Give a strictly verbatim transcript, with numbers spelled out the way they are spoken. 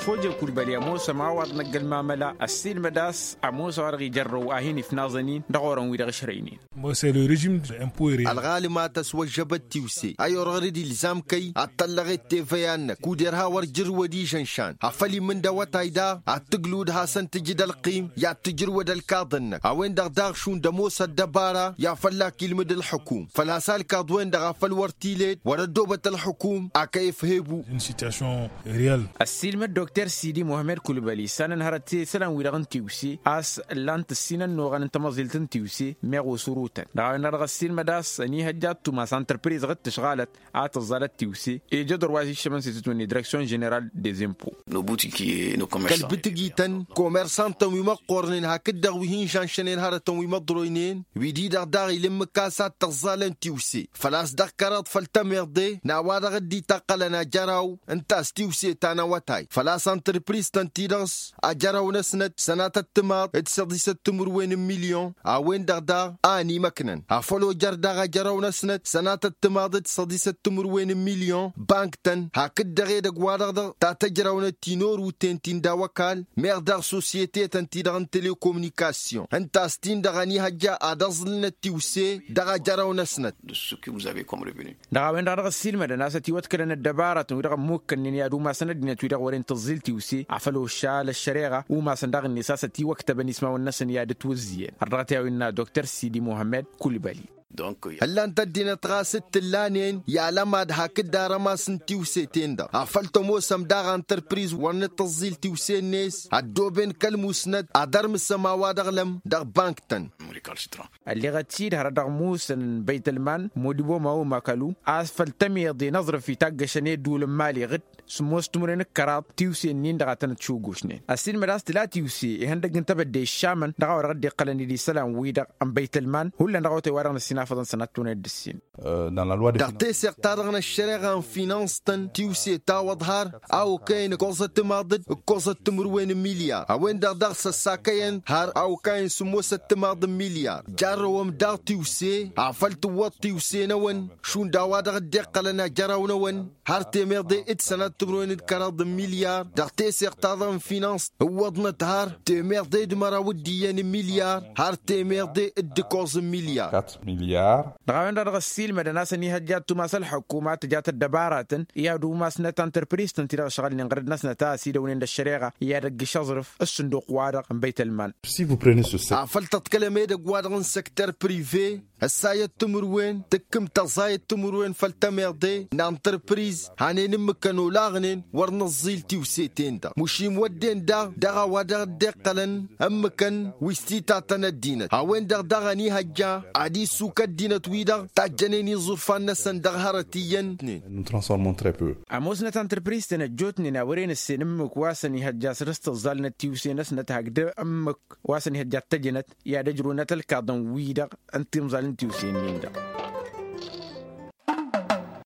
Foje kulbăli ămoosăm a-wa dd-năgg ălmamăla ăssiilmăd a-s ămoos a-wa-dăɣ ijărrăw a hin-ifnaẓăn-in dăɣ-orăn-wi-dăɣ ǝšrăynen. Ălɣalǝm a tăswăžžăbăt tiwse a-i orăɣ-dd ilzam kăy ad-tăllăɣet teveya-năk kud irha wăr jǝrwăd ižănšan afăl imǝnd awătay daɣ ad-tǝglǝwǝd hasăn-tǝjǝd ălqim i-ad-tǝjrǝwăd ălkaḍ-năk a-wen-dăɣ daɣ šund ămoos ăddăbara i-ad-fălla-k ilmǝd ălxǝkum făl-a-s alkaḍ-wen-dăɣ afăl wăr t-ilet wăr-ăddoobăt ălxǝkum. Ak' efheb-u. Ăssiilmăd dokter sidi muhămmed kulbăli issanăn hărăt isălan-wi-dăɣ n-tiwse a-s ǝllan-t ǝssin ănnuɣăn n-tamăẓilt n-tiwse meɣ osurutăn dăɣ-a-wen-dăɣ dăɣ-ăssiilmăd a-s ănihăjja ad-tumas antrăpriz ɣǝd tǝšɣalăt a tǝẓẓalăt tiwse ija ădor wa s-iššămăn s-itǝtwǝnni direksyon ženeral dezempo. Kăl-bǝtǝgităn komersantăn wi măqqornen hakd-dăɣ wi hin-žănšănen hărătăn wi măḍroynen wi-di-dăɣ daɣ ila ǝmmǝk a-s ad-tăẓẓalăn tiwse făl-a-s dăɣ-kăraḍ făll-tămiḍe n-a-wa-dăɣ dd-itaqqălăn ajăraw ǝnta a-s tiwse ta n-awătay făl-a-s antrăpriz-tăn-ti-dăɣ s-ajăraw-năsnăt sănatăt timaḍ d-săḍisăt timǝrwen n-milyon a-wen-dăɣ daɣ a ănimăknăn afăl ojăr daɣ ajăraw-năsnăt sănatăt timaḍ d-săḍisăt timǝrwen n-milyon bank-tăn hakd-dăɣ edăgg-wa-dăɣ dăɣ-ta tăjrawnăt ti n-oruten ti n-daw-ăkall meɣ daɣ sosyete-tăn-ti-dăɣ n-telekomunikasyon ǝnta a-s tin-dăɣ ănihăjja ad-ăẓlǝlnăt tiwse dăɣ-ajăraw-năsnăt. Dăɣ-a-wen-dăɣ dăɣ-ăssiilmădăn a-s ătiwăḍkălăn ăddăbarătăn-wi-dăɣ ămmukkănnen i-ad-umasăn ăddinăt-wi-dăɣ wăren tǝẓẓil tiwse afăl ošal ăššăreɣa umasăn daɣ-net a-s ătiwăktăbăn ismawăn-năsăn i-ad-ǝtwǝzzǝyăn har dăɣ-t i-a-wa innă dokter sidi muhămmed kulbăli. Ǝllan-t ăddinăt ɣas d-tǝllanen i-alămad hakd arămas n-tiwse-ten-dăɣ afăl tămoosăm daɣ antărpriz wăr nǝttǝẓẓil tiwse-net ăddooben kăl-musnăt ad-ărmǝsăm a-wa dăɣ-lăm dăɣ-bank-tăn. Ălleɣăt-dd hărăt dăɣ-musăn n-băytălman modibo mawo makalu a-s făll-tămiḍe n-aẓrǝf itaggăšăn i-ădduul n-imali ɣǝd sǝmmos timǝrwen d-kăraḍ tiwse-nin-dăɣ a tănăt-šugušnen ăssiilmăd a-s tǝla tiwse ihăndăgg n-tebădde iššamăn dăɣ-a-wa dăɣ-dd-iqqălăn d-isălan-wi-dăɣ n-băytălman hullan dăɣ-awătay-wa-dăɣ n-ăssinafăḍăn sănattunăt d-ǝssin. Dăɣ-teseɣt-ta-dăɣ n-ăššăreɣa n-finans-tăn tiwse tawăḍ har a okăyăn ǝkkoẓăt timaḍ d-ǝkkoẓăt timǝrwen n-milyar a-wen-dăɣ daɣ săssakăyăn har a okăyăn sǝmmosăt timaḍ n-milyar jarrăwăm daɣ tiwse afăl tǝwwăḍ tiwse-năwăn šund a-wa dăɣ-dd-iqqălăn ajăraw-năwăn har temeḍe d-sănat timǝrwen d-kăraḍ n-milyar dăɣ-teseɣt-ta-dăɣ n-finans ǝwwăḍnăt har temeḍe d-măraw d-iyyăn n-milyar har temeḍe d-ǝkkoẓ n-milyar. Dăɣ-a-wen-dăɣ dăɣ-ăssiilmădăn a-s ănihăjja ad-tumas ălxukuma tǝjat ăddăbaratăn i-ad-umasnăt antărpriz-tăn-ti-dăɣ ǝšɣălnen ɣărăd-năsnăt a ăsidăwnen d-ăššăreɣa i-ad-ăgg-išăẓrǝf s-sǝnduq-wa-dăɣ n-băytălman. Afăl tăḍkălăm edăgg-wa-dăɣ n-săktăr prive ăssayăt timǝrwen tǝkkǝm tăẓẓayăt timǝrwen făll-tămeḍe n-antărpriz hanen ǝmmǝkăn olaɣnen wăr nǝẓẓil tiwse-ten-dăɣ mušim wădden daɣ dăɣ-a-wa dăɣ-dd-iqqălăn ǝmmǝkăn wi s-titatăn ăddinăt a-wen-dăɣ daɣ ănihăjja ad-issuk ăddinăt-wi-dăɣ tajjănen iẓurfan-năsăn dăɣ-hărăt iyyăn. Ămoosnăt antărpriz-tăn ăjjootnen a wăren ǝssen ǝmmǝk wa s-ănihăjja săr-s tǝẓẓalnăt tiwse-năsnăt hakd ǝmmǝk wa s-ănihăjja ad-tăjjănăt i-ad-ăjrăwnăt ălkaḍăn-wi-dăɣ n-timẓal n-tiwse-nin-dăɣ.